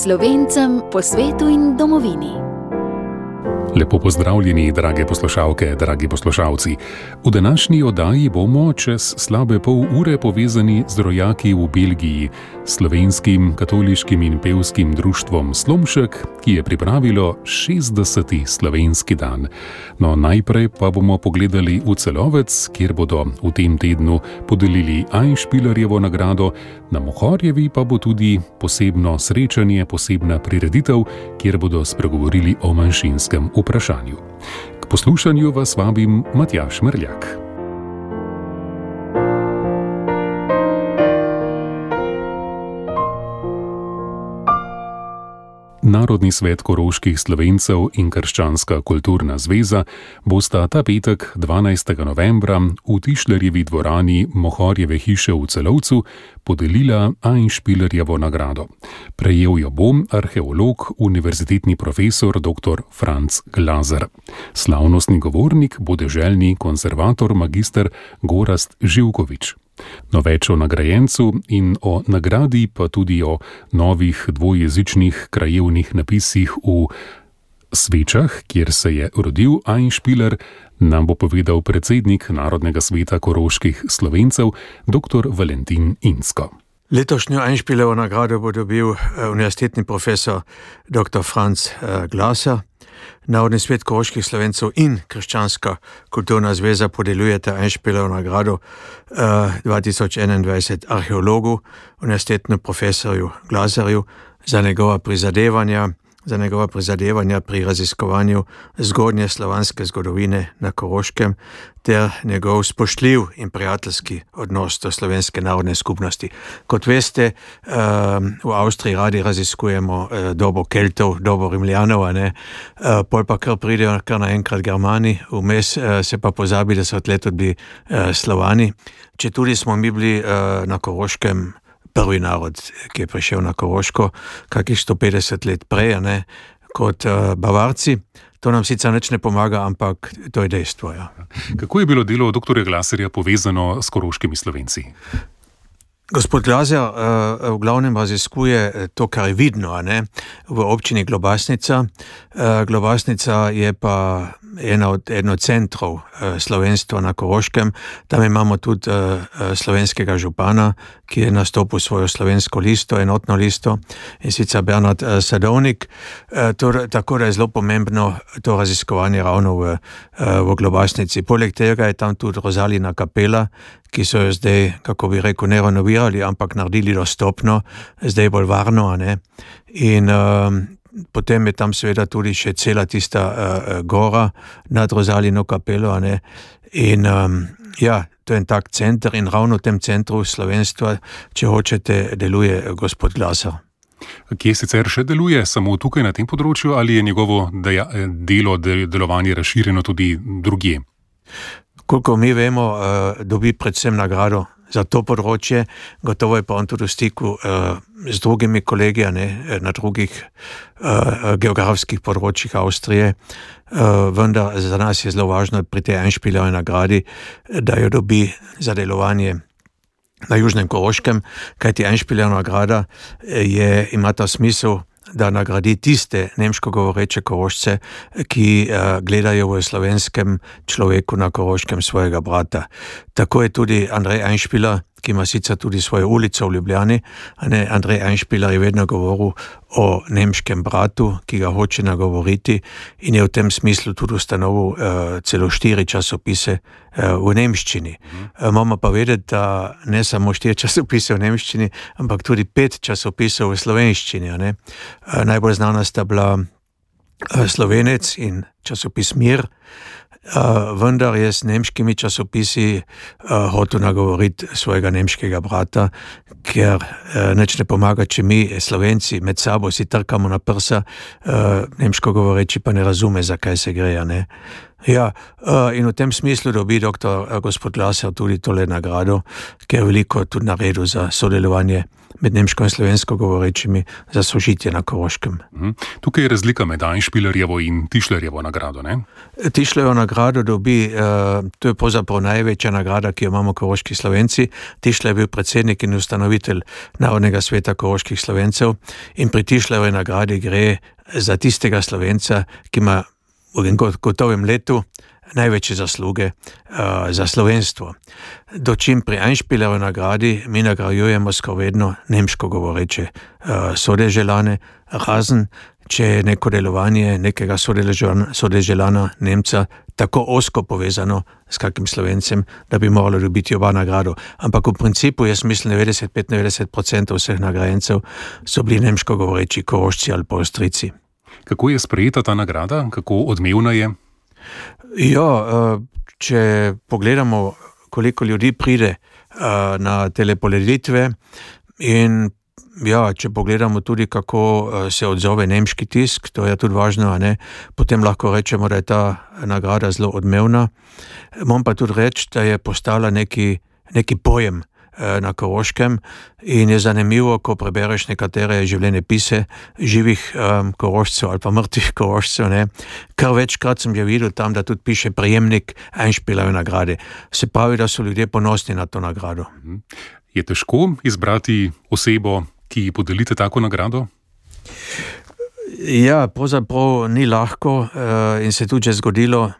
Slovencem po svetu in domovini. Lepo pozdravljeni, drage poslušalke, dragi poslušalci. V današnji oddaji bomo čez slabe pol ure povezani z rojaki v Belgiji, slovenskim katoliškim in pevskim društvom Slomšek, ki je pripravilo 60. slovenski dan. No, najprej pa bomo pogledali v Celovec, kjer bodo v tem tednu podelili Einspielerjevo nagrado, na Mohorjevi pa bo tudi posebno srečanje, posebna prireditev, kjer bodo spregovorili o manjšinskem vprašanju. K poslušanju vas vabim Matjaž Merljak. Narodni svet koroških Slovencev in Krščanska kulturna zveza bosta ta petek 12. novembra v Tišlerjevi dvorani Mohorjeve hiše v Celovcu podelila Einspielerjevo nagrado. Prejel jo bo arheolog, univerzitetni profesor dr. Franc Glaser. Slavnostni govornik bo deželni konservator magister Gorazd Živkovič. No, več o nagrajencu in o nagradi, pa tudi o novih dvojezičnih krajevnih napisih v Svečah, kjer se je rodil Einspieler, nam bo povedal predsednik Narodnega sveta koroških Slovencev, dr. Valentin Insko. Letošnjo Einspielerjevo nagrado bo dobil univerzitetni profesor dr. Franc Glaser. Narodni svet koroških Slovencev in Krščanska kulturna zveza podeljujeta Einspielerjevo nagrado 2021 arheologu, univerzitetnemu profesorju Glaserju za njegova prizadevanja pri raziskovanju zgodnje slovanske zgodovine na Koroškem ter njegov spoštljiv in prijateljski odnos do slovenske narodne skupnosti. Kot veste, v Avstriji radi raziskujemo dobo Keltov, dobo Rimljanov, pol pa kar pridejo kar naenkrat Germani, vmes se pa pozabi, da so od let tudi Slovani. Četudi smo mi bili na Koroškem prvi narod, ki je prišel na Koroško, kakih 150 let prej, kot Bavarci. To nam sicer nič ne pomaga, ampak to je dejstvo. Ja. Kako je bilo delo dr. Glaserja povezano s koroškimi Slovenci? Gospod Glaser v glavnem raziskuje to, kar je vidno, v občini Globasnica. Globasnica je pa eno od centrov slovenstva na Koroškem. Tam imamo tudi slovenskega župana, ki je nastopil svojo slovensko listo, enotno listo, in sicer Bernard Sadovnik. Tako da je zelo pomembno to raziskovanje ravno v Globasnici. Poleg tega je tam tudi Rozalina kapela, ki so jo zdaj, kako bi rekel, ne renovirali, ampak naredili dostopno, zdaj bolj varno, In potem je tam seveda tudi še cela tista gora nad Rozalino kapelo, In to je en tak center in ravno v tem centru slovenstva, če hočete, deluje gospod Glaser. Kje sicer še deluje, samo tukaj na tem področju, ali je njegovo delovanje razširjeno tudi drugje? Koliko mi vemo, dobi predvsem nagrado za to področje, gotovo je pa on tudi v stiku z drugimi kolegi, na drugih geografskih področjih Avstrije, vendar za nas je zelo važno pri tej Einspielerjevi nagradi, da jo dobi za delovanje na Južnem Koroškem, kajti Einspielerjeva nagrada ima ta smisel, da nagradi tiste nemško govoreče Korošce, ki gledajo v slovenskem človeku na Koroškem svojega brata. Tako je tudi Andrej Einspieler, ki ima sicer tudi svojo ulico v Ljubljani. Andrej Einspieler je vedno govoril o nemškem bratu, ki ga hoče nagovoriti, in je v tem smislu tudi ustanovil celo 4 časopise v nemščini. Moramo pa vedeti, da ne samo 4 časopise v nemščini, ampak tudi 5 časopisov v slovenščini. Najbolj znana sta bila Slovenec in časopis Mir, vendar je s nemškimi časopisi hotel nagovoriti svojega nemškega brata, ker nič ne pomaga, če mi Slovenci med sabo si trkamo na prsa, nemško govoreči pa ne razume, zakaj se gre. Ja, in v tem smislu dobi dr. gospod Laser tudi tole nagrado, ker je veliko tudi naredil za sodelovanje med nemško in slovensko govorečimi za sožitje na Koroškem. Tukaj je razlika med Einspielerjevo in Tischlerjevo nagrado, ne? Tischlerjevo nagrado dobi, to je pravzaprav največja nagrada, ki jo imamo koroški Slovenci. Tischler je bil predsednik in ustanovitelj Narodnega sveta koroških Slovencev in pri Tischlerjevi nagradi gre za tistega Slovenca, ki ima v gotovem letu največje zasluge za slovenstvo. Dočim pri Einspielerjevi nagradi mi nagrajujemo skoraj vedno nemško govoreče sodeželane, razen če je neko delovanje nekega sodeželana Nemca tako osko povezano s kakim Slovencem, da bi moralo dobiti oba nagrado. Ampak v principu, jaz mislim, 95-90% vseh nagrajencev so bili nemško govoreči Korošci ali pa Avstrijci. Kako je sprejeta ta nagrada? Kako odmevna je? Ja, če pogledamo, koliko ljudi pride na telepoleditve in ja, če pogledamo tudi, kako se odzove nemški tisk, to je tudi važno, ne? Potem lahko rečemo, da je ta nagrada zelo odmevna. Moram pa tudi reči, da je postala neki pojem na Koroškem in je zanimivo, ko prebereš nekatere življenjepise živih Korošcev ali pa mrtvih Korošcev, ne. Kar večkrat sem že videl tam, da tudi piše prejemnik Einspielerjeve nagrade. Se pravi, da so ljudje ponosni na to nagrado. Je težko izbrati osebo, ki ji podelite tako nagrado? Ja, pravzaprav ni lahko in se tudi že zgodilo,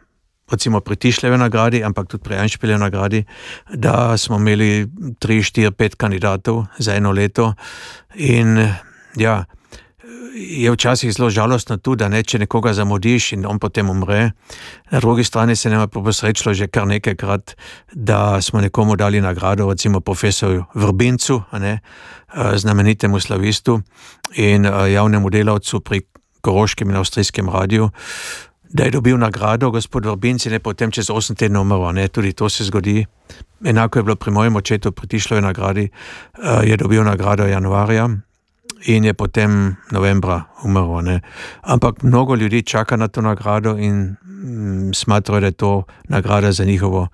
recimo pri Tischlerjevi nagradi, ampak tudi pri Einspielerjevi nagradi, da smo imeli 3, 4, 5 kandidatov za eno leto in ja, je včasih zelo žalostno tudi, da ne, če nekoga zamudiš in on potem umre. Na drugi strani se nam je posrečilo že kar nekajkrat, da smo nekomu dali nagrado, recimo profesorju Vrbincu, ne, znamenitemu slavistu in javnemu delavcu pri Koroškem in Avstrijskem radiju, da je dobil nagrado gospod Vrbinc in je potem čez 8 tednov umrl, ne, tudi to se zgodi. Enako je bilo pri mojem očetu pri Tischlerjevi nagradi, je dobil nagrado januarja in je potem novembra umrl, ne. Ampak mnogo ljudi čaka na to nagrado in smatrajo, da je to nagrada za njihovo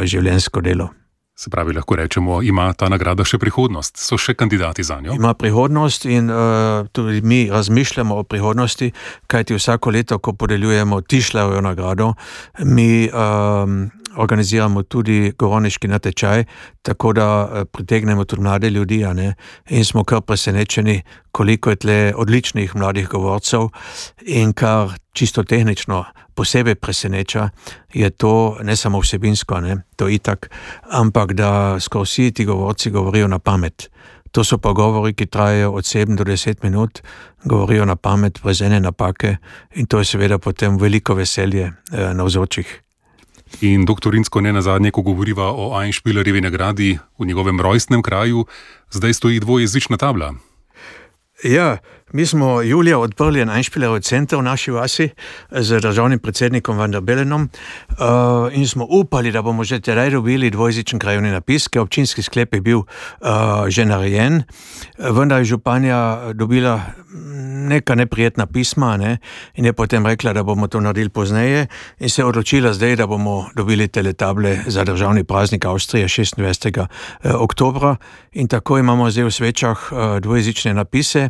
življenjsko delo. Se pravi, lahko rečemo, ima ta nagrada še prihodnost? So še kandidati za njo? Ima prihodnost in tudi mi razmišljamo o prihodnosti, kajti vsako leto, ko podeljujemo Tischlerjevo nagrado, mi organiziramo tudi govorniški natečaj, tako da pritegnemo tudi mlade ljudi, a ne, in smo kar presenečeni, koliko je tle odličnih mladih govorcev in kar čisto tehnično posebej preseneča, je to ne samo vsebinsko, ne, to itak, ampak da skoraj vsi ti govorci govorijo na pamet. To so pa govori, ki trajajo od 7 do 10 minut, govorijo na pamet, brez ene napake in to je seveda potem veliko veselje navzočih. In doktor Rinsko, ne nazadnje, ko govoriva o Einspielerjevi nagradi v njegovem rojstnem kraju, zdaj stoji dvojezična tabla. Ja, mi smo julija odprli en Einspielerjev center v naši vasi z državnim predsednikom Van der Bellenom in smo upali, da bomo že tedaj dobili dvojezičen krajevni napis, ker občinski sklep je bil že narejen, vendar je županja dobila neka neprijetna pisma, ne, in je potem rekla, da bomo to naredili pozneje in se je odločila zdaj, da bomo dobili teletable za državni praznik Avstrije 26. oktobra in tako imamo zdaj v Svečah dvojezične napise.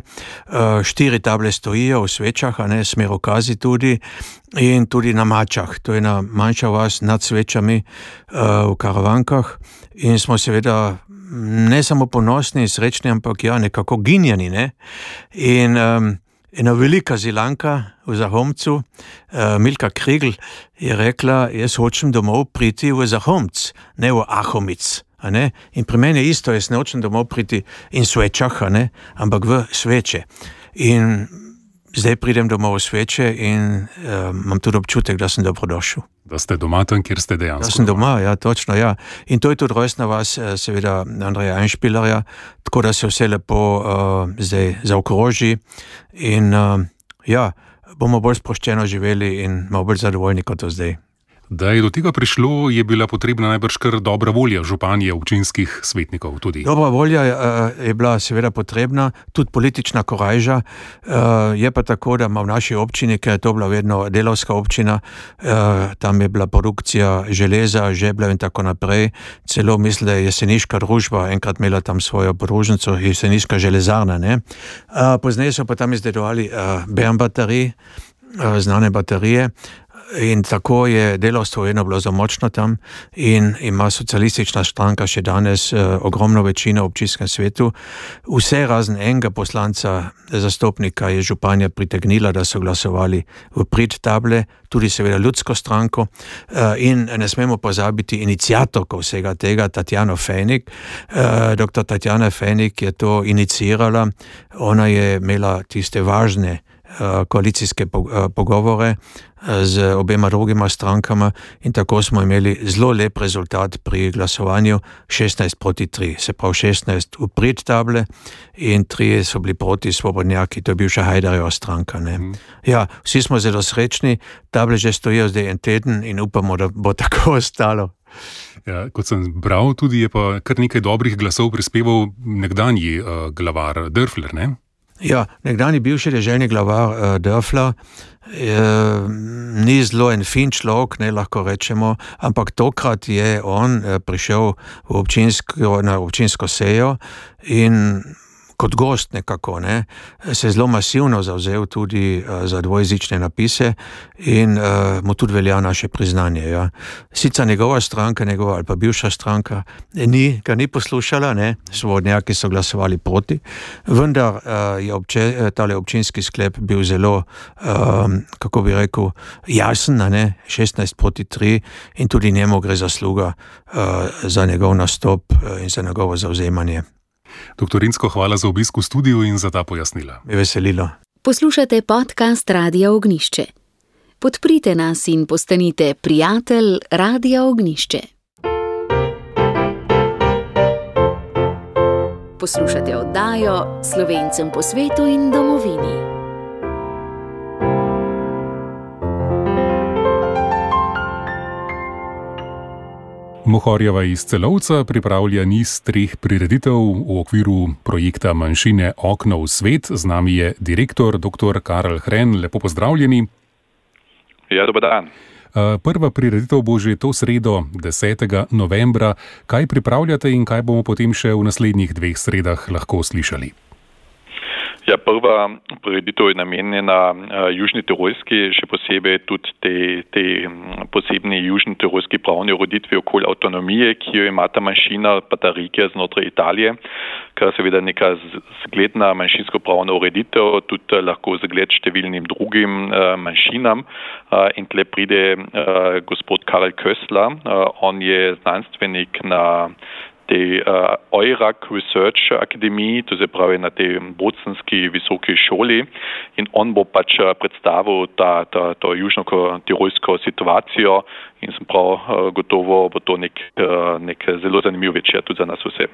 4 table stojijo v Svečah, a ne, Smerokazi tudi in tudi na Mačah. To je ena manjša vas nad Svečami v Karavankah in smo seveda ne samo ponosni in srečni, ampak ja, nekako ginjani, ne. In ena velika Zilanka v Zahomcu, Milka Krigl, je rekla, jaz hočem domov priti v Zahomc, ne v Ahomic. A ne? In pri meni je isto, jaz ne hočem domov priti in Svečah, a ne? Ampak v Sveče. In zdaj pridem domov v Sveče in imam tudi občutek, da sem dobrodošel. Da ste doma tam, kjer ste dejansko. Da sem doma, ja, točno, ja. In to je tudi rojstna vas, seveda, Andreja Einspielerja, tako da se vse lepo zdaj zaokroži in ja, bomo bolj sproščeno živeli in malo bolj zadovoljni kot do zdaj. Da je do tega prišlo, je bila potrebna najbrž kar dobra volja županje občinskih svetnikov tudi. Dobra volja je bila seveda potrebna, tudi politična korajža. Je pa tako, da ima v naši občini, ker je to bila vedno delavska občina, tam je bila produkcija železa, žebljev in tako naprej. Celo mislim, da je jeseniška družba enkrat imela tam svojo podružnico, jeseniška železarna. Ne? Pozneje so pa tam izdelovali Bern baterije, znane baterije. In tako je delavstvo vedno bilo zamočno tam in ima socialistična stranka še danes ogromno večino v občinskem svetu. Vse razen enega poslanca, zastopnika je županja pritegnila, da so glasovali v prid table, tudi seveda ljudsko stranko in ne smemo pozabiti iniciatorko vsega tega, Tatjano Fejnik. Dr. Tatjana Fejnik je to inicirala, ona je imela tiste važne koalicijske pogovore z obema drugima strankama in tako smo imeli zelo lep rezultat pri glasovanju 16-3, se pravi 16 v prid table in 3 so bili proti svobodnjaki, to je bivša Hajdarjeva stranka. Ne? Ja, vsi smo zelo srečni, table že stojijo zdaj en teden in upamo, da bo tako ostalo. Ja, kot sem bral, tudi je pa kar nekaj dobrih glasov prispeval nekdanji glavar Dörfler, ne? Ja, nekdani bivši deželni glavar Dörfler ni zelo en fin človek, ne lahko rečemo, ampak tokrat je on prišel na občinsko sejo in kot gost nekako, ne, se zelo masivno zavzel tudi za dvojezične napise in mu tudi velja naše priznanje. Ja. Sicer njegova stranka, ali pa bivša stranka, ga ni poslušala, ne, svobodnjaki so glasovali proti, vendar je tale občinski sklep bil zelo, kako bi rekel, jasen, ne, 16-3 in tudi njemu gre zasluga za njegov nastop in za njegovo zavzemanje. Doktor Rinsko, hvala za obisk v studiu in za ta pojasnila. Me veselilo. Poslušate podcast Radia Ognjišče. Podprite nas in postanite prijatelj Radia Ognjišče. Poslušate oddajo Slovencem po svetu in domovini. Mohorjeva iz Celovca pripravlja niz 3 prireditev v okviru projekta Manjšine okno v svet. Z nami je direktor dr. Karel Hren. Lepo pozdravljeni. Ja, dober dan. Prva prireditev bo že to sredo, 10. novembra. Kaj pripravljate in kaj bomo potem še v naslednjih 2 sredah lahko slišali? Ja, prva prireditev je namenjena Južni Tirolski, še posebej tudi te posebni Južni Tirolski pravni ureditvi okoli avtonomije, ki jo ima ta manjšina, pa ta regija znotraj Italije, kar seveda neka zgledna manjšinsko pravna ureditev, tudi lahko zgled številnim drugim manjšinam. In tle pride gospod Karel Köstler, on je znanstvenik na tej EURAC Research Akademiji, to se pravi na tej bocenski visoki šoli, in on bo pač predstavil to južno-tirolsko situacijo in sem prav gotovo bo to nek zelo zanimiv večer tudi za nas vse.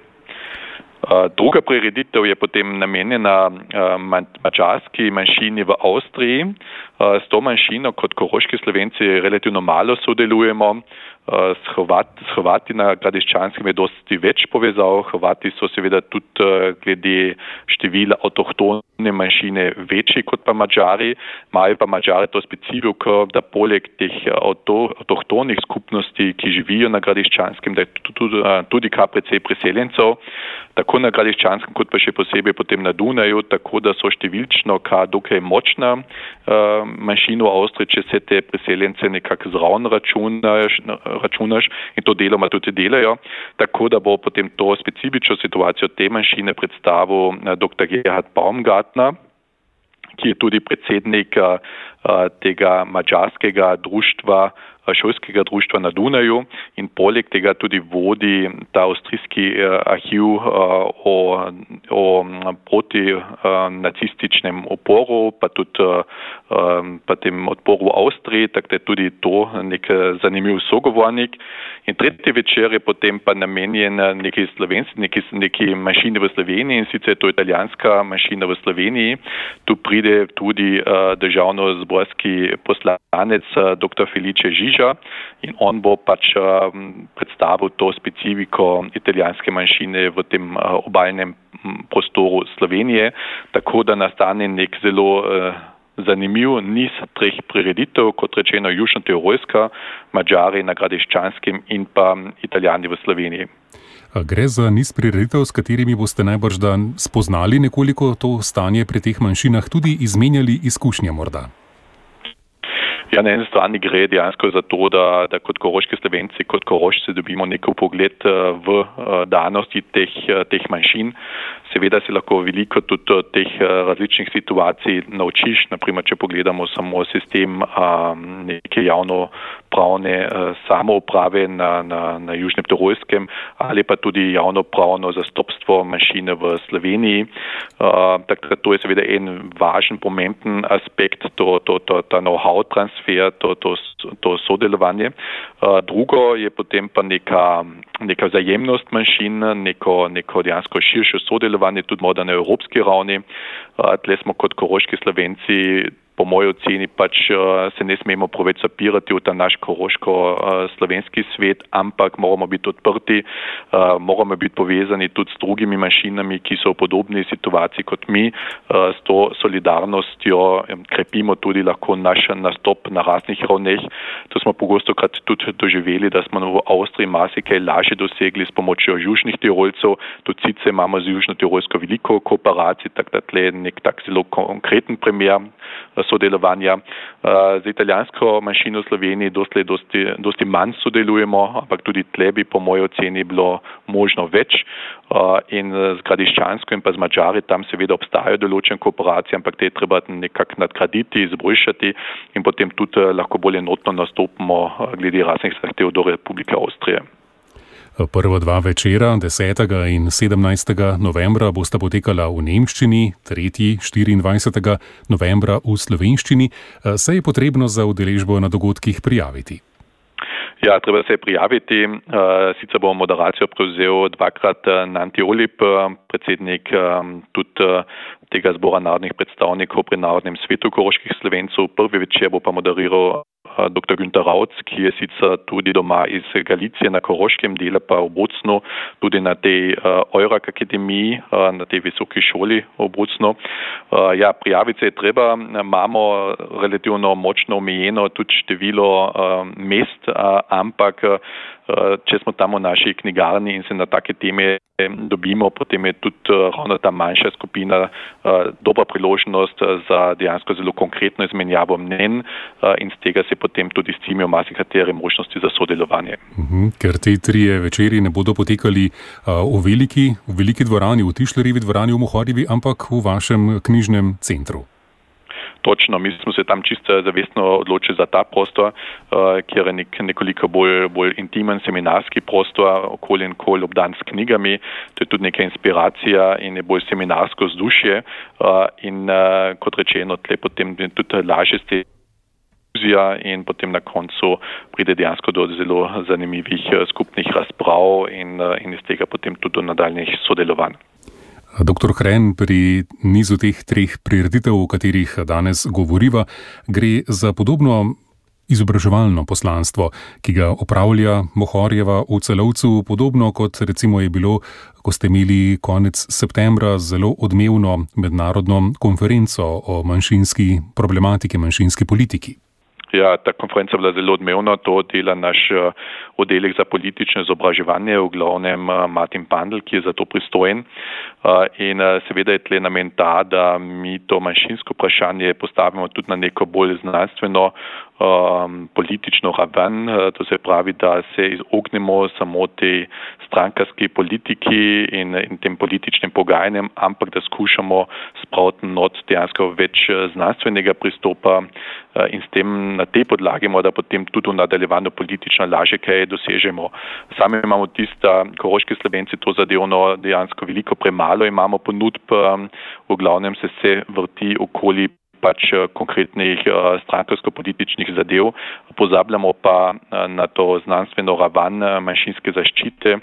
Druga prireditev je potem namenjena madžarski manjšini v Avstriji. S to manjšino kot koroški Slovenci relativno malo sodelujemo. S Hrvati na Gradiščanskem je dosti več povezav. Hrvati so seveda tudi glede števila avtohtone manjšine večji kot pa Madžari. Imajo pa Madžari to specifiko, da poleg teh avtohtonih skupnosti, ki živijo na Gradiščanskem, da je tudi kar precej priseljencev, tako na Gradiščanskem kot pa še posebej potem na Dunaju, tako da so številčno kar dokaj močna manjšina v Avstriji, če se te priseljence nekako zraven računaš in to deloma tudi delajo, tako da bo potem to specifično situacijo te manjšine predstavil dr. Gerhard Baumgartner, ki je tudi predsednik tega madžarskega društva, šolskega društva na Dunaju in poleg tega tudi vodi ta avstrijski arhiv o proti nacističnem oporu, pa tudi pa tem odporu v Avstriji, tako da je tudi to nek zanimiv sogovornik. In tretji večer je potem pa namenjen neki manjšini v Sloveniji, in sicer je to italijanska manjšina v Sloveniji. Tu pride tudi državno-zborski poslanec dr. Felice Žižek, Vehiža in on bo pač predstavil to specifiko italijanske manjšine v tem obalnem prostoru Slovenije, tako da nastane nek zelo zanimiv niz treh prireditev, kot rečeno Južno-Tirolska, Madžari na Gradiščanskem in pa Italijani v Sloveniji. Gre za niz prireditev, s katerimi boste najbrž spoznali nekoliko to stanje pri teh manjšinah, tudi izmenjali izkušnje morda. Ja, na eni strani gre dejansko za to, da kot koroški Slovenci, kot Korošci dobimo nek pogled v danosti teh manjšin. Seveda se lahko veliko tudi teh različnih situacij naučiš, naprimer, če pogledamo samo sistem neke javnopravne samouprave na Južnem Tirolskem ali pa tudi javnopravno zastopstvo manjšine v Sloveniji. Takrat to je seveda en važen, pomemben aspekt, ta know-how transfer, to sodelovanje. Drugo je potem pa neka vzajemnost manjšin, neko dejansko širše sodelovanje tudi morda na evropski ravni. Tle smo kot koroški Slovenci po moji oceni pač se ne smemo preveč zapirati v ta naš koroško-slovenski svet, ampak moramo biti odprti, moramo biti povezani tudi s drugimi manjšinami, ki so v podobni situaciji kot mi. S to solidarnostjo krepimo tudi lahko naš nastop na raznih ravneh. To smo pogostokrat tudi doživeli, da smo v Avstriji marsikaj lažje dosegli s pomočjo južnih Tirolcev. Tudi sicer imamo z Južno-Tirolsko veliko kooperacij, tako da tle nek tak zelo konkreten primer sodelovanja. Z italijansko manjšino v Sloveniji dosti manj sodelujemo, ampak tudi tle bi po moji oceni bilo možno več. In z Gradiščansko in pa z Madžari tam seveda obstajajo določene kooperacije, ampak te je treba nekako nadgraditi, izboljšati in potem tudi lahko bolj enotno nastopimo glede raznih zahtev do Republike Avstrije. Prva dva večera, 10. in 17. novembra, bosta potekala v nemščini, tretji 24. novembra v slovenščini. Se je potrebno za udeležbo na dogodkih prijaviti? Ja, treba se prijaviti. Sicer bo moderacijo prevzel dvakrat Nanti Olip, predsednik tudi tega zbora narodnih predstavnikov pri Narodnem svetu koroških Slovencev. Prvi večer bo pa moderiral dr. Günther Rauc, ki je sicer tudi doma iz Galicije na Koroškem, dela pa v Bocnu, tudi na tej Eurak akademiji, na tej visoki šoli v Bocnu. Ja, prijaviti se je treba, imamo relativno močno omejeno tudi število mest, ampak če smo tam v naši knjigarni in se na take teme dobimo, potem je tudi ravno ta manjša skupina dobra priložnost za dejansko zelo konkretno izmenjavo mnenj in z tega se potem tudi scimijo marsikatere možnosti za sodelovanje. Ker te trije večeri ne bodo potekali v veliki dvorani, v Tišlerjevi dvorani v Mohorjevi, ampak v vašem knjižnem centru. Točno, mi smo se tam čisto zavestno odločili za ta prostor, kjer je nekoliko bolj intimen seminarski prostor, okoli in kol obdan s knjigami. To je tudi neka inspiracija in je bolj seminarsko vzdušje. In kot rečeno, tle potem tudi lažje ste in potem na koncu pride dejansko do zelo zanimivih skupnih razprav in iz tega potem tudi do nadaljnjih sodelovanj. Doktor Hren, pri nizu teh treh prireditev, o katerih danes govoriva, gre za podobno izobraževalno poslanstvo, ki ga opravlja Mohorjeva v Celovcu, podobno kot recimo je bilo, ko ste imeli konec septembra zelo odmevno mednarodno konferenco o manjšinski problematiki, manjšinski politiki. Ja, ta konferenca bila zelo odmevna, to dela naš oddelek za politično izobraževanje, v glavnem Martin Pandl, ki je za to pristojen. In seveda je tle namen ta, da mi to manjšinsko vprašanje postavimo tudi na neko bolj znanstveno politično raven, to se pravi, da se izognemo samo tej strankarski politiki in tem političnim pogajanjem, ampak da skušamo spraviti not dejansko več znanstvenega pristopa in s tem na tej podlagi morda potem tudi v nadaljevanju politično lažje kaj dosežemo. Sami imamo tista, koroški Slovenci to zadevno dejansko veliko premalo imamo ponudb, v glavnem se vrti okoli pač konkretnih strankarsko-političnih zadev. Pozabljamo pa na to znanstveno raven manjšinske zaščite,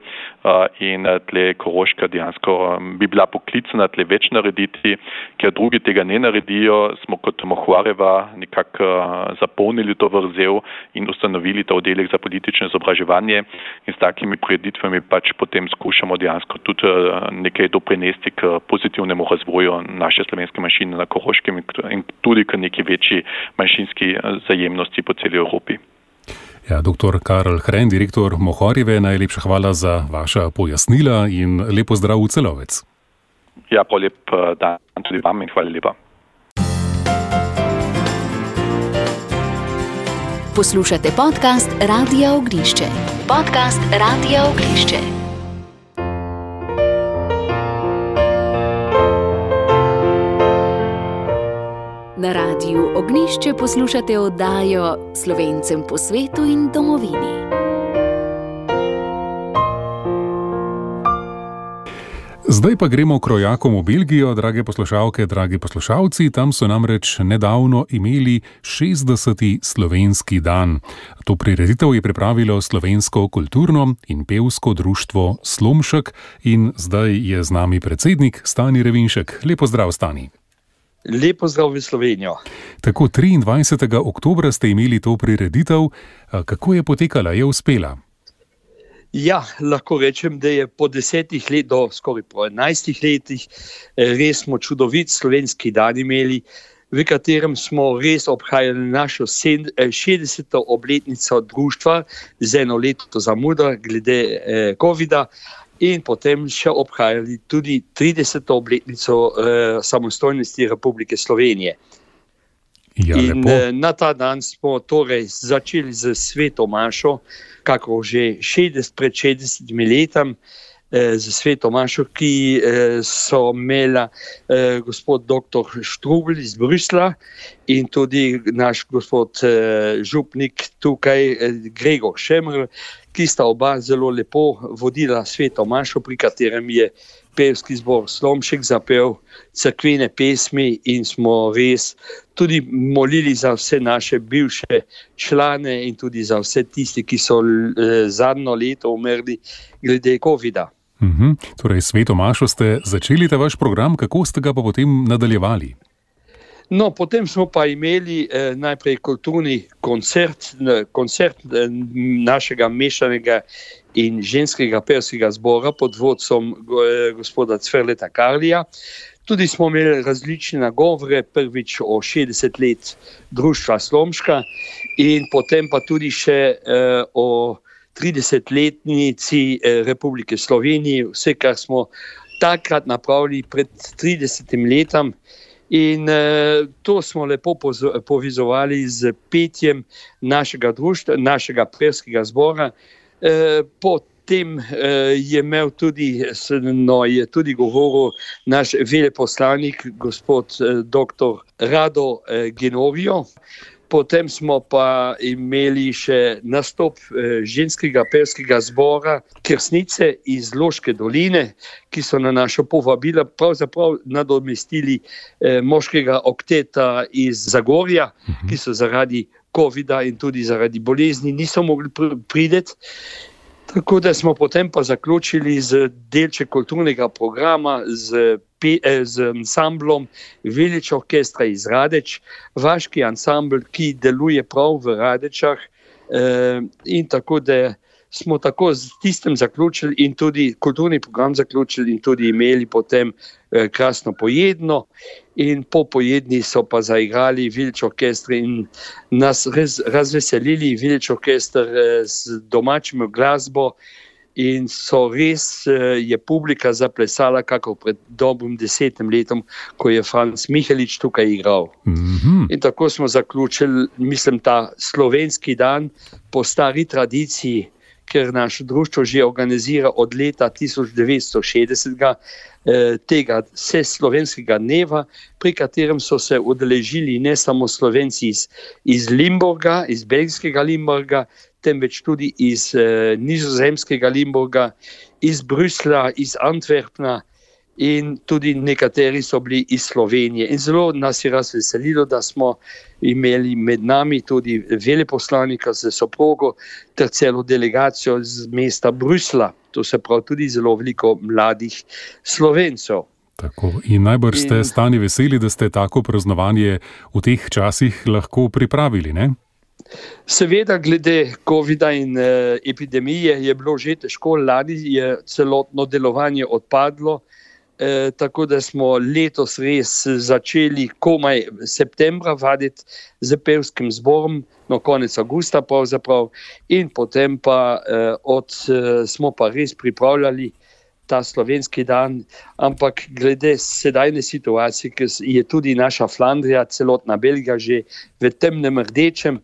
in tle Koroška dejansko bi bila poklicana tle več narediti, ker drugi tega ne naredijo, smo kot Mohvareva nekako zapolnili to vrzel in ustanovili ta oddelek za politično izobraževanje in s takimi prireditvami pač potem skušamo dejansko tudi nekaj doprinesti k pozitivnemu razvoju naše slovenske manjšine na Koroškem in tudi k neki večji manjšinski zajemnosti po celi Evropi. Ja, dr. Karl Hren, direktor Mohorjeve, najlepša hvala za vaša pojasnila in lep pozdrav v Celovec. Ja, pa lep dan tudi vam in hvala lepa. Poslušate podcast Radia Ognjišče. Podcast Radia Ognjišče. Na Radiu Ognjišče poslušate oddajo Slovencem po svetu in domovini. Zdaj pa gremo krojakom v Belgijo, drage poslušalke, dragi poslušalci. Tam so namreč nedavno imeli 60. slovenski dan. To prireditev je pripravilo Slovensko kulturno in pevsko društvo Slomšek in zdaj je z nami predsednik Stani Revinšek. Lep pozdrav, Stani. Lep pozdrav v Slovenijo. Tako 23. oktobra ste imeli to prireditev. Kako je potekala? Je uspela? Ja, lahko rečem, da je po 10 let do skoraj po 11 letih res smo čudovit slovenski dan imeli, v katerem smo res obhajali našo 60. obletnico društva z eno leto zamudo glede covida. In potem še obhajali tudi 30. obletnico samostojnosti Republike Slovenije. Ja, in na ta dan smo torej začeli z sveto mašo, kako že pred 60 letam, z sveto mašo, ki so imela gospod dr. Štrubl iz Brusla in tudi naš gospod župnik tukaj, Gregor Šemr, ki sta oba zelo lepo vodila sveto mašo, pri katerem je pevski zbor Slomšek zapel cerkvene pesmi in smo res tudi molili za vse naše bivše člane in tudi za vse tisti, ki so zadnjo leto umrli glede covida. Torej, sveto mašo ste začeli ta vaš program, kako ste ga pa potem nadaljevali? No, potem smo pa imeli najprej kulturni koncert našega mešanega in ženskega pevskega zbora pod vodstvom gospoda Cverleta Karlija. Tudi smo imeli različne nagovore, prvič o 60 let društva Slomška in potem pa tudi še o 30-letnici Republike Slovenije, vse, kar smo takrat napravili pred 30 letom. In to smo lepo povezovali z petjem našega društva, našega pevskega zbora. Potem je imel tudi, je tudi govoril naš veleposlanik, gospod dr. Rado Genovijo. Potem smo pa imeli še nastop ženskega pevskega zbora Kersnice iz Loške doline, ki so na našo povabilo pravzaprav nadomestili moškega okteta iz Zagorja, ki so zaradi covida in tudi zaradi bolezni niso mogli priti. Tako da smo potem pa zaključili z delček kulturnega programa z ansamblom Village Orkestra iz Radeč, vaški ansambl, ki deluje prav v Radečah, in tako da smo tako z tistem zaključili in tudi kulturni program zaključili in tudi imeli potem krasno pojedno in po pojedni so pa zaigrali Village Orkestra in nas res razveselili Village Orkestra z domačim glasbo. In so res je publika zaplesala, kako pred dobrim 10 letom, ko je Franc Mihelič tukaj igral. In tako smo zaključili, mislim, ta slovenski dan po stari tradiciji, ker naše društvo že organizira od leta 1960 tega vseslovenskega dneva, pri katerem so se udeležili ne samo Slovenci iz Limburga, iz belgijskega Limburga, temveč tudi iz nizozemskega Limburga, iz Brusla, iz Antwerpna in tudi nekateri so bili iz Slovenije. In zelo nas je razveselilo, da smo imeli med nami tudi veleposlanika z soprogo ter celo delegacijo z mesta Brusla. To se pravi tudi zelo veliko mladih Slovencev. Tako. In najbrž ste, Stani, veseli, da ste tako praznovanje v teh časih lahko pripravili, ne? Seveda, glede COVID-a in epidemije je bilo že težko, lani je celotno delovanje odpadlo, tako da smo letos res začeli komaj septembra vaditi z pevskim zborom, konec avgusta pravzaprav, in potem pa smo pa res pripravljali ta slovenski dan, ampak glede sedajne situacije, ker je tudi naša Flandrija, celotna Belgija že v temnem rdečem,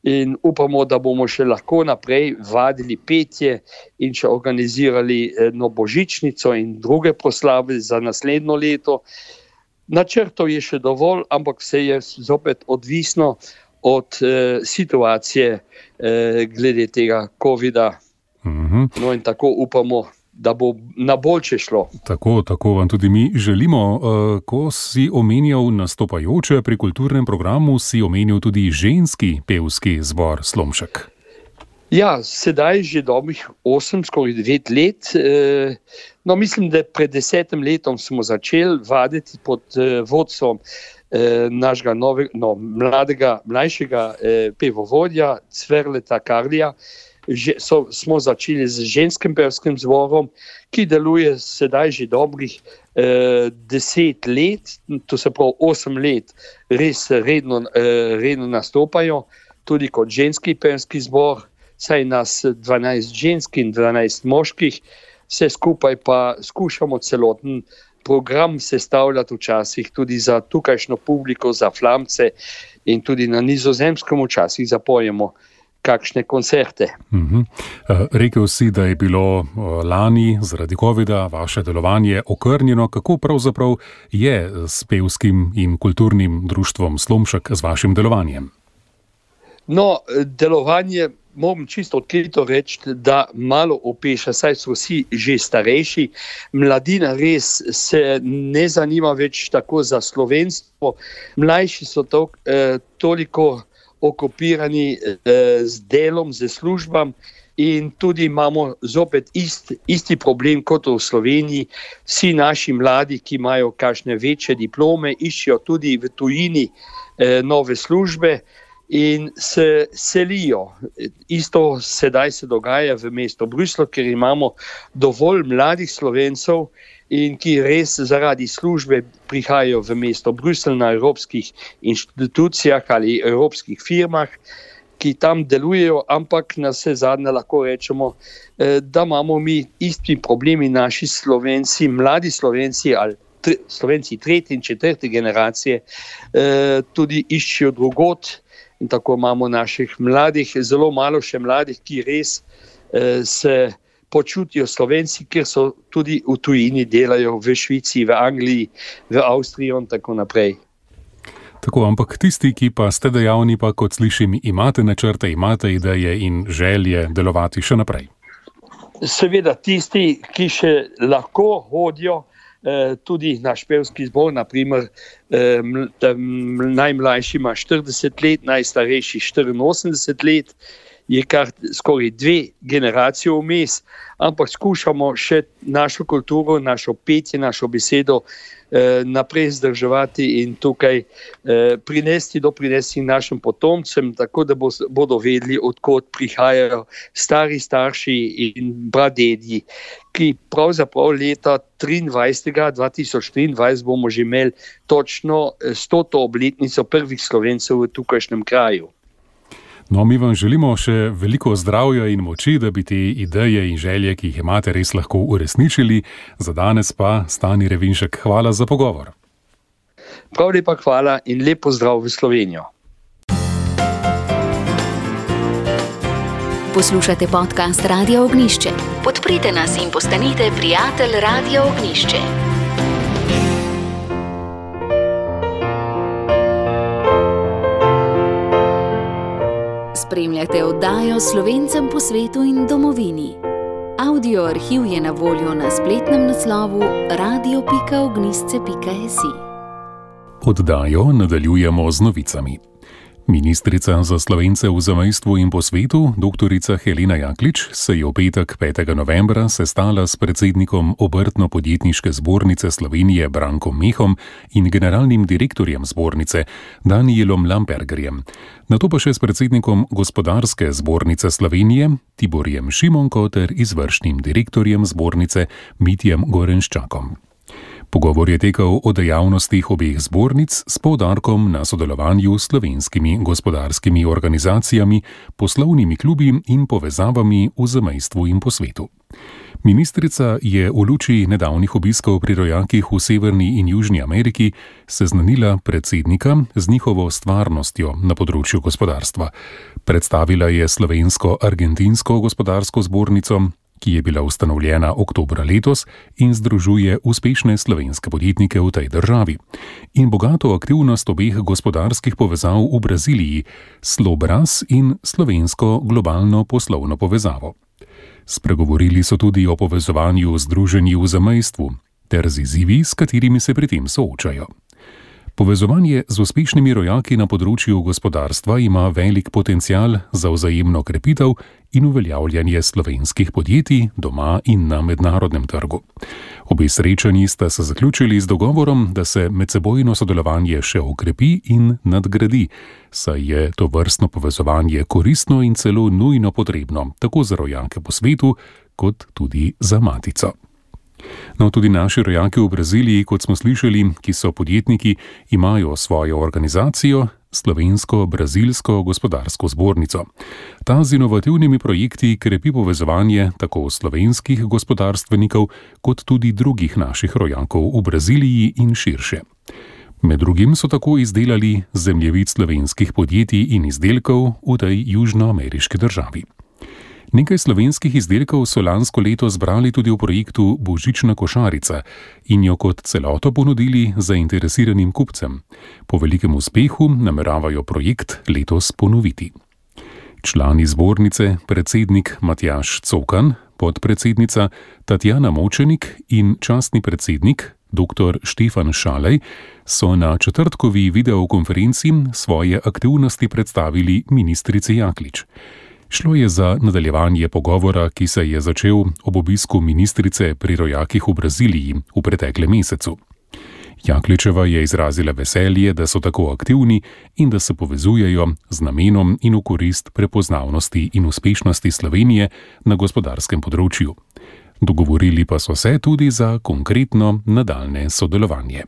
in upamo, da bomo še lahko naprej vadili petje in še organizirali božičnico in druge proslave za naslednjo leto. Načrtov je še dovolj, ampak vse je zopet odvisno od situacije glede tega COVID-a. No in tako upamo, da bo na boljše šlo. Tako vam tudi mi želimo. Ko si omenjal nastopajoče pri kulturnem programu, si omenil tudi ženski pevski zbor Slomšek. Ja, sedaj že dobrih 8, skoraj 9 let. No, mislim, da pred 10 letom smo začeli vaditi pod vodstvom našega mlajšega pevovodja Cverleta Karlija. Smo začeli z ženskim pevskim zborom, ki deluje sedaj že dobrih 10 let, to se pravi 8 let, res redno nastopajo, tudi kot ženski pevski zbor, saj nas 12 žensk in 12 moških, vse skupaj pa skušamo celoten program sestavljati včasih tudi za tukajšnjo publiko, za Flamce, in tudi na Nizozemskem včasih zapojemo kakšne koncerte. Rekel si, da je bilo lani zaradi COVID-a vaše delovanje okrnjeno. Kako pravzaprav je s pevskim in kulturnim društvom Slomšek z vašim delovanjem? No, delovanje, moram čisto odkrito reči, da malo opeša, saj so vsi že starejši. Mladina res se ne zanima več tako za slovenstvo. Mlajši so toliko okupirani z delom, z službam, in tudi imamo zopet isti problem kot v Sloveniji. Vsi naši mladi, ki imajo kakšne večje diplome, iščejo tudi v tujini nove službe in se selijo. Isto sedaj se dogaja v mestu Bruslu, ker imamo dovolj mladih Slovencev, in ki res zaradi službe prihajajo v mesto Bruselj na evropskih inštitucijah ali evropskih firmah, ki tam delujejo, ampak na vse zadnje lahko rečemo, da imamo mi isti problemi, naši Slovenci, mladi Slovenci ali Slovenci 3. in 4. generacije tudi iščejo drugot, in tako imamo naših mladih, zelo malo še mladih, ki res se počutijo Slovenci, ker so tudi v tujini, delajo v Švici, v Angliji, v Avstriji in tako naprej. Tako, ampak tisti, ki pa ste dejavni, pa kot slišim, imate načrte, imate ideje in želje delovati še naprej. Seveda tisti, ki še lahko hodijo, tudi naš pevski zbor, naprimer najmlajši ima 40 let, najstarejši 84 let, je kar skoraj 2 generacije vmes, ampak skušamo še našo kulturo, našo petje, našo besedo naprej zdrževati in tukaj doprinesti našim potomcem, tako da bodo vedeli, odkot prihajajo stari starši in pradedji, ki pravzaprav leta 2023 bomo že imeli točno 100. obletnico prvih Slovencev v tukajšnjem kraju. No, mi vam želimo še veliko zdravja in moči, da bi te ideje in želje, ki jih imate, res lahko uresničili. Za danes pa, Stani Revinšek, hvala za pogovor. Prav lepa hvala in lep pozdrav v Slovenijo. Poslušate podcast Radia Ognišče. Podprite nas in postanite prijatelj Radia Ognišče. Spremljate oddajo Slovencem po svetu in domovini. Audio arhiv je na voljo na spletnem naslovu radio.ognisce.si. Oddajo nadaljujemo z novicami. Ministrica za Slovence v zamejstvu in po svetu, dr. Helena Jaklič, se je v petek 5. novembra sestala s predsednikom Obrtno-podjetniške zbornice Slovenije Brankom Mehom in generalnim direktorjem zbornice Danielom Lampergerjem, nato pa še s predsednikom Gospodarske zbornice Slovenije Tiborjem Šimonko ter izvršnim direktorjem zbornice Mitjem Gorenščakom. Pogovor je tekel o dejavnostih obeh zbornic s poudarkom na sodelovanju s slovenskimi gospodarskimi organizacijami, poslovnimi klubi in povezavami v zamejstvu in po svetu. Ministrica je v luči nedavnih obiskov pri rojakih v Severni in Južni Ameriki seznanila predsednika z njihovo stvarnostjo na področju gospodarstva. Predstavila je slovensko-argentinsko gospodarsko zbornico, ki je bila ustanovljena oktobra letos in združuje uspešne slovenske podjetnike v tej državi, in bogato aktivnost obeh gospodarskih povezav v Braziliji, Slobraz in slovensko globalno poslovno povezavo. Spregovorili so tudi o povezovanju združenj v zamejstvu ter z izzivi, s katerimi se pri tem soočajo. Povezovanje z uspešnimi rojaki na področju gospodarstva ima velik potencial za vzajemno krepitev in uveljavljanje slovenskih podjetij doma in na mednarodnem trgu. Obe srečanji sta se zaključili z dogovorom, da se medsebojno sodelovanje še okrepi in nadgradi, saj je to vrstno povezovanje koristno in celo nujno potrebno, tako za rojake po svetu, kot tudi za matico. No, tudi naši rojaki v Braziliji, kot smo slišali, ki so podjetniki, imajo svojo organizacijo, Slovensko-brazilsko gospodarsko zbornico. Ta z inovativnimi projekti krepi povezovanje tako slovenskih gospodarstvenikov, kot tudi drugih naših rojakov v Braziliji in širše. Med drugim so tako izdelali zemljevid slovenskih podjetij in izdelkov v tej južnoameriški državi. Nekaj slovenskih izdelkov so lansko leto zbrali tudi v projektu Božična košarica in jo kot celoto ponudili zainteresiranim kupcem. Po velikem uspehu nameravajo projekt letos ponoviti. Člani zbornice, predsednik Matjaž Cokan, podpredsednica Tatjana Močenik in častni predsednik dr. Štefan Šalej so na četrtkovi videokonferenci svoje aktivnosti predstavili ministrici Jaklič. Šlo je za nadaljevanje pogovora, ki se je začel ob obisku ministrice pri rojakih v Braziliji v preteklem mesecu. Jakličeva je izrazila veselje, da so tako aktivni in da se povezujejo z namenom in v korist prepoznavnosti in uspešnosti Slovenije na gospodarskem področju. Dogovorili pa so se tudi za konkretno nadaljne sodelovanje.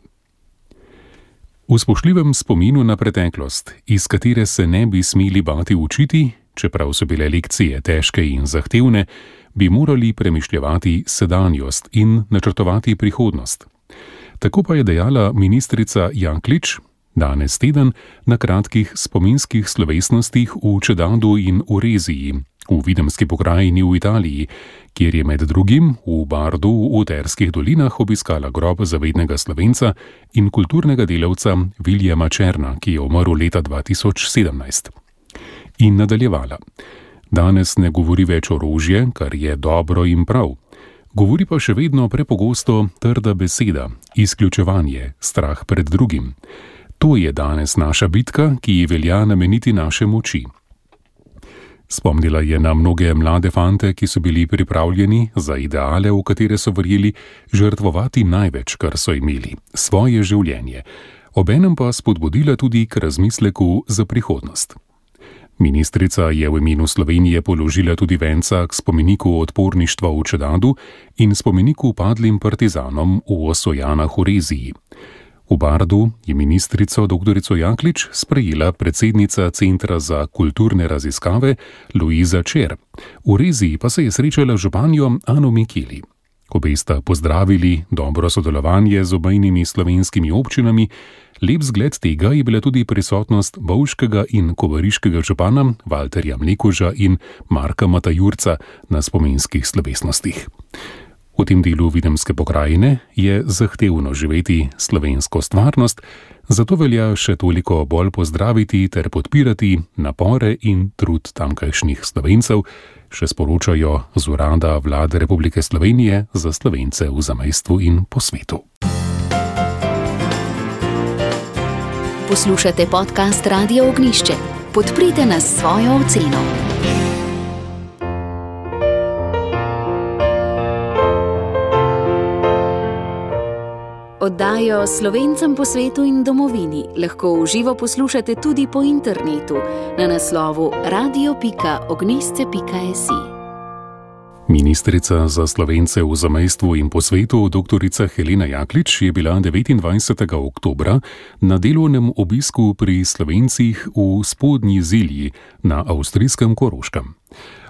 V spoštljivem spominu na preteklost, iz katere se ne bi smeli bati učiti, čeprav so bile lekcije težke in zahtevne, bi morali premišljevati sedanjost in načrtovati prihodnost. Tako pa je dejala ministrica Jaklič danes teden na kratkih spominskih slovesnostih v Čedadu in v Reziji, v Videmski pokrajini v Italiji, kjer je med drugim v Bardu v Terskih dolinah obiskala grob zavednega Slovenca in kulturnega delavca Viljama Černa, ki je umrl leta 2017. In nadaljevala. Danes ne govori več orožje, kar je dobro in prav. Govori pa še vedno prepogosto trda beseda, izključevanje, strah pred drugim. To je danes naša bitka, ki ji velja nameniti naše moči. Spomnila je na mnoge mlade fante, ki so bili pripravljeni za ideale, v katere so verjeli, žrtvovati največ, kar so imeli, svoje življenje. Obenem pa spodbudila tudi k razmisleku za prihodnost. Ministrica je v imenu Slovenije položila tudi venca k spomeniku odporništva v Čedadu in spomeniku padlim partizanom v Osojanah v Reziji. V Bardu je ministrico dr. Jaklič sprejela predsednica Centra za kulturne raziskave Luiza Čer. V Reziji pa se je srečala z županjo Ano Mikeli. Obe sta pozdravili dobro sodelovanje z obejnimi slovenskimi občinami. Lep zgled tega je bila tudi prisotnost bovškega in kobariškega župana Valterja Mlekuža in Marka Matajurca na spominskih slovesnostih. V tem delu Videmske pokrajine je zahtevno živeti slovensko stvarnost, zato velja še toliko bolj pozdraviti ter podpirati napore in trud tamkajšnjih Slovencev, še sporočajo z Urada Vlade Republike Slovenije za Slovence v zamejstvu in po svetu. Poslušate podcast Radia Ognišče. Podprite nas s svojo oceno. Oddajo Slovencem po svetu in domovini lahko v živo poslušate tudi po internetu na naslovu radio.ognisce.si. Ministrica za Slovence v zamejstvu in po svetu dr. Helena Jaklič je bila 29. oktobra na delovnem obisku pri Slovencih v Spodnji Zilji na avstrijskem Koroškem.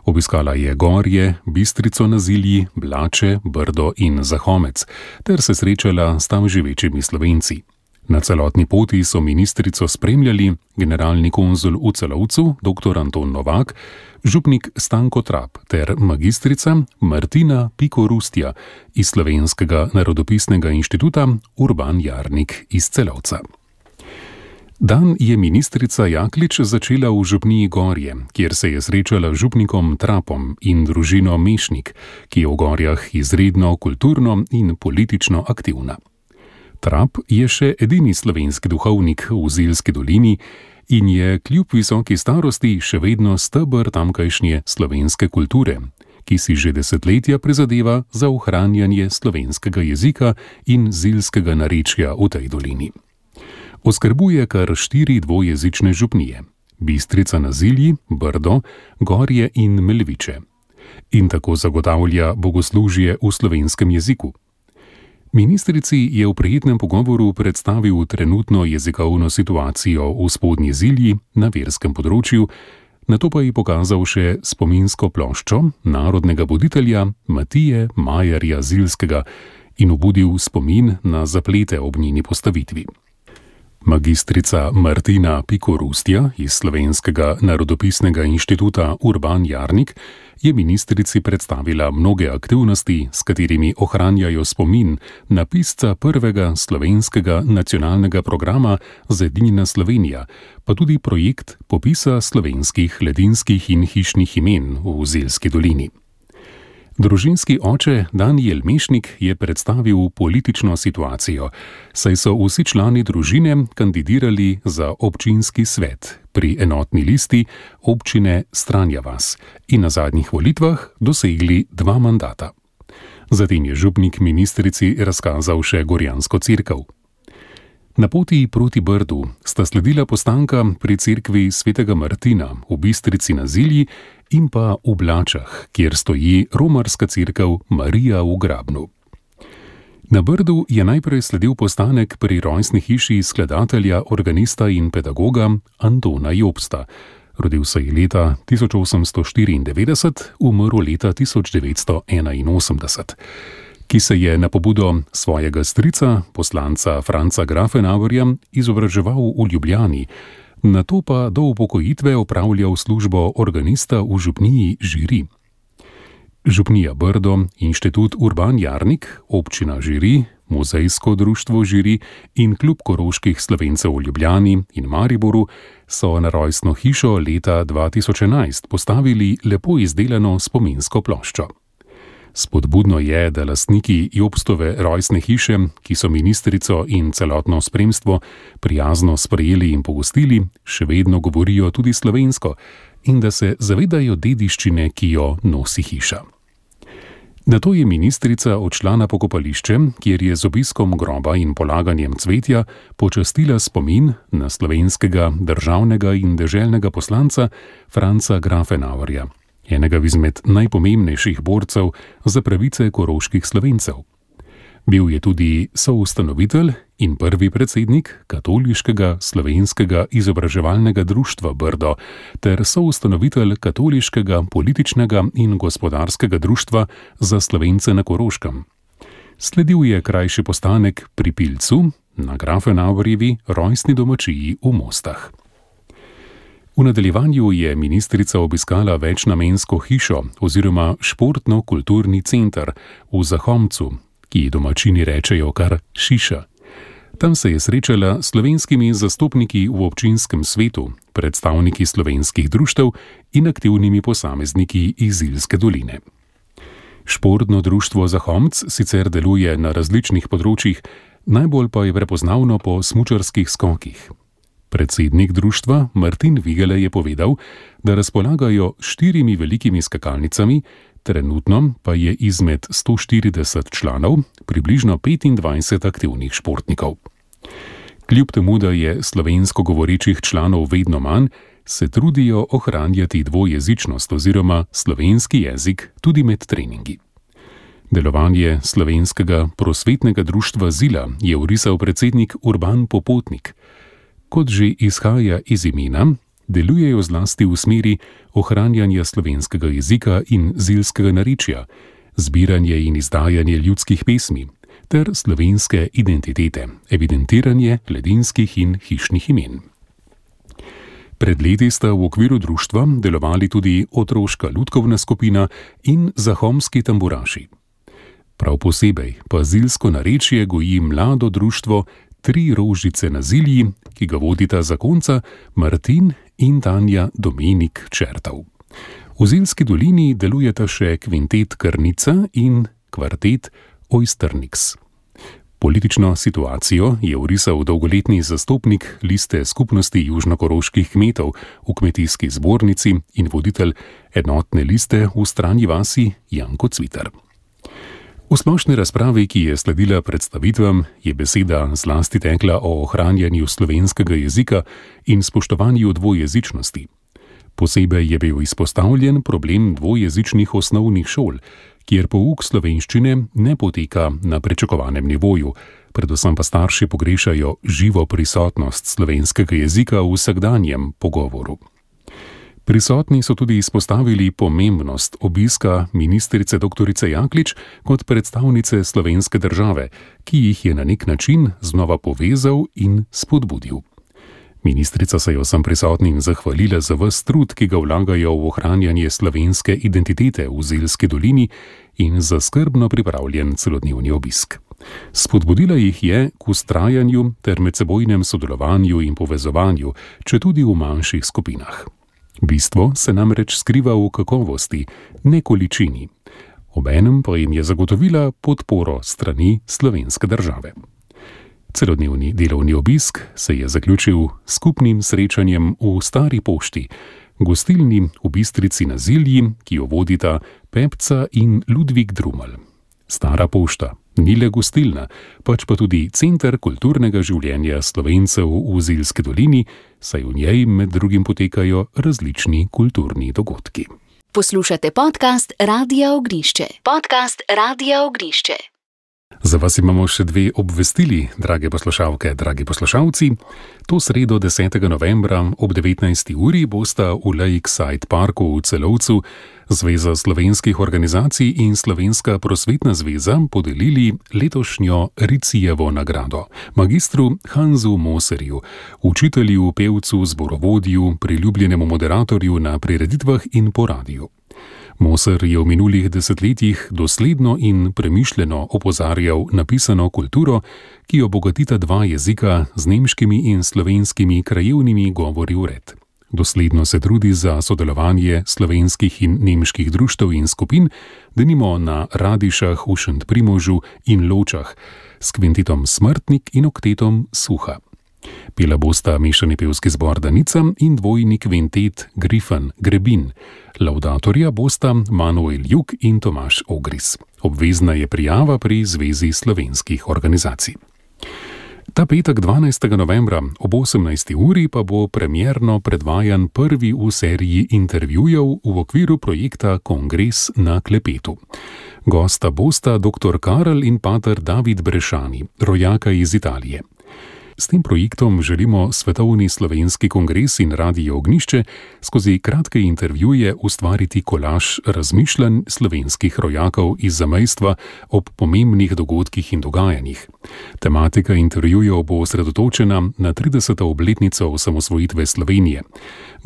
Obiskala je Gorje, Bistrico na Zilji, Blače, Brdo in Zahomec ter se srečala s tam živečimi Slovenci. Na celotni poti so ministrico spremljali generalni konzul v Celovcu dr. Anton Novak, župnik Stanko Trap ter magistrica Martina Pikorustja iz Slovenskega narodopisnega inštituta Urban Jarnik iz Celovca. Dan je ministrica Jaklič začela v župniji Gorje, kjer se je srečala z župnikom Trapom in družino Mešnik, ki je v Gorjah izredno kulturno in politično aktivna. Trap je še edini slovenski duhovnik v Zilski dolini in je kljub visoki starosti še vedno steber tamkajšnje slovenske kulture, ki si že desetletja prizadeva za ohranjanje slovenskega jezika in zilskega narečja v tej dolini. Oskrbuje kar 4 dvojezične župnije: Bistrica na Zilji, Brdo, Gorje in Melviče. In tako zagotavlja bogoslužje v slovenskem jeziku. Ministrici je v prijetnem pogovoru predstavil trenutno jezikovno situacijo v Spodnji Zilji na verskem področju, nato pa ji pokazal še spominsko ploščo narodnega voditelja Matije Majerja Zilskega in obudil spomin na zaplete ob njeni postavitvi. Magistrica Martina Pikorustja iz Slovenskega narodopisnega inštituta Urban Jarnik je ministrici predstavila mnoge aktivnosti, s katerimi ohranjajo spomin na pisca prvega slovenskega nacionalnega programa Zedinjena Slovenija, pa tudi projekt popisa slovenskih ledinskih in hišnih imen v Zilski dolini. Družinski oče Danijel Mešnik je predstavil politično situacijo, saj so vsi člani družine kandidirali za občinski svet pri enotni listi občine Stranja vas in na zadnjih volitvah dosegli 2 mandata. Zatem je župnik ministrici razkazal še Gorjansko cerkev. Na poti proti Brdu sta sledila postanka pri cerkvi svetega Martina v Bistrici na Zilji in pa v Blačah, kjer stoji romarska cerkev Marija v Grabnu. Na Brdu je najprej sledil postanek pri rojstni hiši skladatelja, organista in pedagoga Antona Jobsta. Rodil se je leta 1894, umrl leta 1981. Ki se je na pobudo svojega strica, poslanca Franca Grafenauerja, izobraževal v Ljubljani, nato pa do upokojitve opravljal službo organista v župniji Žiri. Župnija Brdo, inštitut Urban Jarnik, občina Žiri, muzejsko društvo Žiri in klub koroških Slovencev v Ljubljani in Mariboru so na rojstno hišo leta 2011 postavili lepo izdelano spominsko ploščo. Spodbudno je, da lastniki Jobstove rojstne hiše, ki so ministrico in celotno spremstvo prijazno sprejeli in pogostili, še vedno govorijo tudi slovensko in da se zavedajo dediščine, ki jo nosi hiša. Nato je ministrica odšla na pokopališče, kjer je z obiskom groba in polaganjem cvetja počastila spomin na slovenskega državnega in deželnega poslanca Franca Grafenauerja, enega izmed najpomembnejših borcev za pravice koroških Slovencev. Bil je tudi soustanovitelj in prvi predsednik Katoliškega slovenskega izobraževalnega društva Brdo ter soustanovitelj Katoliškega političnega in gospodarskega društva za Slovence na Koroškem. Sledil je krajši postanek pri Pilcu na Grafenauerjevi rojstni domačiji v Mostah. V nadaljevanju je ministrica obiskala večnamensko hišo oziroma športno-kulturni center v Zahomcu, ki domačini rečejo kar Šiša. Tam se je srečala s slovenskimi zastopniki v občinskem svetu, predstavniki slovenskih društev in aktivnimi posamezniki iz Ilske doline. Športno društvo Zahomc sicer deluje na različnih področjih, najbolj pa je prepoznavno po smučarskih skokih. Predsednik društva Martin Vigele je povedal, da razpolagajo 4 velikimi skakalnicami, trenutno pa je izmed 140 članov približno 25 aktivnih športnikov. Kljub temu, da je slovensko govorečih članov vedno manj, se trudijo ohranjati dvojezičnost oziroma slovenski jezik tudi med treningi. Delovanje slovenskega prosvetnega društva Zila je orisal predsednik Urban Popotnik. Kot že izhaja iz imena, delujejo zlasti v smeri ohranjanja slovenskega jezika in zilskega narečja, zbiranje in izdajanje ljudskih pesmi ter slovenske identitete, evidentiranje ledinskih in hišnih imen. Pred leti sta v okviru društva delovali tudi otroška lutkovna skupina in zahomski tamburaši. Prav posebej pa zilsko narečje goji mlado društvo 3 rožice na Zilji, ki ga vodita zakonca Martin in Tanja Dominik Čertav. V Zilski dolini delujeta še kvintet Krnica in kvartet Oysterniks. Politično situacijo je orisal dolgoletni zastopnik liste skupnosti južnokoroških kmetov v kmetijski zbornici in voditelj enotne liste v Stranji vasi Janko Cvitar. V splošni razpravi, ki je sledila predstavitvam, je beseda zlasti tekla o ohranjanju slovenskega jezika in spoštovanju dvojezičnosti. Posebej je bil izpostavljen problem dvojezičnih osnovnih šol, kjer pouk slovenščine ne poteka na pričakovanem nivoju, predvsem pa starši pogrešajo živo prisotnost slovenskega jezika v vsakdanjem pogovoru. Prisotni so tudi izpostavili pomembnost obiska ministrice dr. Jaklič kot predstavnice slovenske države, ki jih je na nek način znova povezal in spodbudil. Ministrica se je vsem prisotnim zahvalila za ves trud, ki ga vlagajo v ohranjanje slovenske identitete v Zilski dolini in za skrbno pripravljen celodnevni obisk. Spodbudila jih je k vztrajanju ter medsebojnem sodelovanju in povezovanju, četudi v manjših skupinah. Bistvo se namreč skriva v kakovosti, ne količini. Obenem pa jim je zagotovila podporo strani slovenske države. Celodnevni delovni obisk se je zaključil s skupnim srečanjem v Stari pošti, gostilni v Bistrici na Zilji, ki jo vodita Pepca in Ludvik Drumelj. Stara pošta ni le gostilna, pač pa tudi center kulturnega življenja Slovencev v Zilski dolini, saj v njej med drugim potekajo različni kulturni dogodki. Poslušate podcast Radia Ognišče. Podcast Radia Ognišče. Za vas imamo še 2 obvestili, drage poslušalke, dragi poslušalci. To sredo 10. novembra ob 19. uri bosta v Lakeside Parku v Celovcu Zveza slovenskih organizacij in Slovenska prosvetna zveza podelili letošnjo Ricijevo nagrado magistru Hansu Moserju, učitelju, pevcu, zborovodju, priljubljenemu moderatorju na prireditvah in po radiju. Moser je v minulih desetletjih dosledno in premišljeno opozarjal na pisano kulturo, ki jo bogatita 2 jezika z nemškimi in slovenskimi krajevnimi govori vred. Dosledno se trudi za sodelovanje slovenskih in nemških društev in skupin, denimo na Radišah v Šentprimožu in Ločah, s kvintetom Smrtnik in oktetom Suha. Pela bosta mešani pevski zbor Danica in dvojni kvintet Grifen Grebin. Laudatorja bosta Manuel Juk in Tomaž Ogris. Obvezna je prijava pri Zvezi slovenskih organizacij. Ta petek 12. novembra ob 18. uri pa bo premierno predvajan prvi v seriji intervjujev v okviru projekta Kongres na klepetu. Gosta bosta dr. Karel in pater David Brešani, rojaka iz Italije. S tem projektom želimo Svetovni slovenski kongres in Radio Ognišče skozi kratke intervjuje ustvariti kolaž razmišljanj slovenskih rojakov iz zamejstva ob pomembnih dogodkih in dogajanjih. Tematika intervjujev bo osredotočena na 30. obletnico osamosvojitve Slovenije.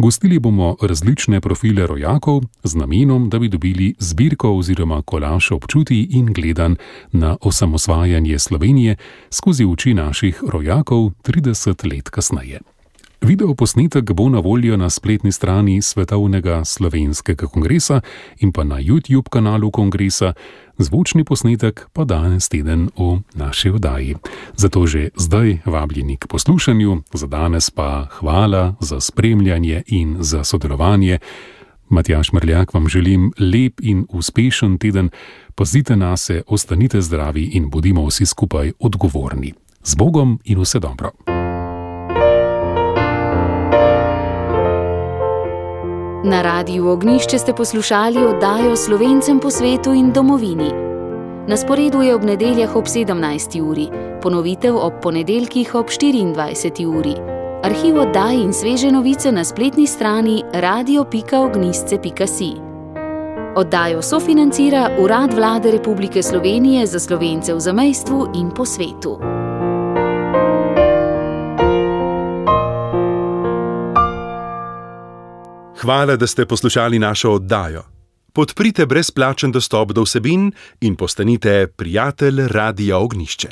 Gostili bomo različne profile rojakov z namenom, da bi dobili zbirko oziroma kolaž občutij in gledanj na osamosvajanje Slovenije skozi oči naših rojakov 30 let kasneje. Videoposnetek bo na voljo na spletni strani Svetovnega slovenskega kongresa in pa na YouTube kanalu kongresa, zvočni posnetek pa danes teden v naši oddaji. Zato že zdaj vabljeni k poslušanju, za danes pa hvala za spremljanje in za sodelovanje. Matjaž Mrljak vam želim lep in uspešen teden, pazite nase, ostanite zdravi in bodimo vsi skupaj odgovorni. Z Bogom in vse dobro. Na Radiu Ognjišče ste poslušali oddajo Slovencem po svetu in domovini. Na sporedu je ob nedeljah ob 17. uri, ponovitev ob ponedeljkih ob 24. uri. Arhiv oddaj in sveže novice na spletni strani radio.ognjisce.si. Oddajo sofinancira Urad Vlade Republike Slovenije za Slovence v zamejstvu in po svetu. Hvala, da ste poslušali našo oddajo. Podprite brezplačen dostop do vsebin in postanite prijatelj Radia Ognjišče.